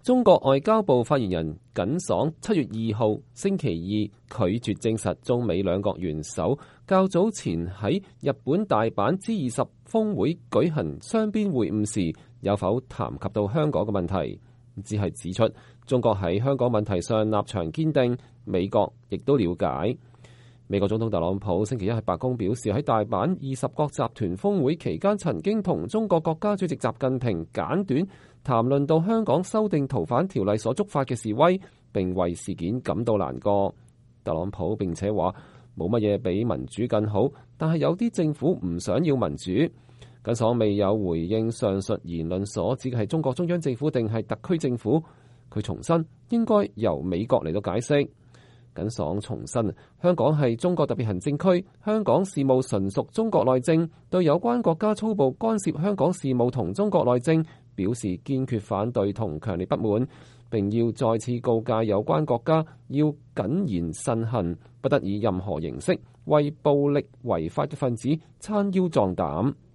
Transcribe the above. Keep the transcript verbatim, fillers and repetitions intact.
中國外交部發言人耿爽七月二號星期二拒絕證實中美兩國元首較早前喺日本大阪 G 二十峰會舉行雙邊會晤時有否談及到香港嘅問題，只係指出中國喺香港問題上立場堅定，美國亦都了解。美國總統特朗普星期一喺白宮表示，喺大阪二十國集團峰會期間曾經同中國國家主席習近平簡短談論到香港修訂逃犯條例所觸發嘅示威，並為事件感到難過。特朗普並且話冇乜嘢比民主更好，但係有啲政府唔想要民主。耿爽未有回應上述言論所指嘅係中國中央政府定係特區政府，佢重申應該由美國嚟到解釋。耿爽重申，香港係中國特別行政區，香港事務純屬中國內政，對有關國家粗暴干涉香港事務同中國內政表示堅決反對同強烈不滿，並要再次告誡有關國家要謹言慎行，不得以任何形式為暴力違法嘅分子撐腰壯膽。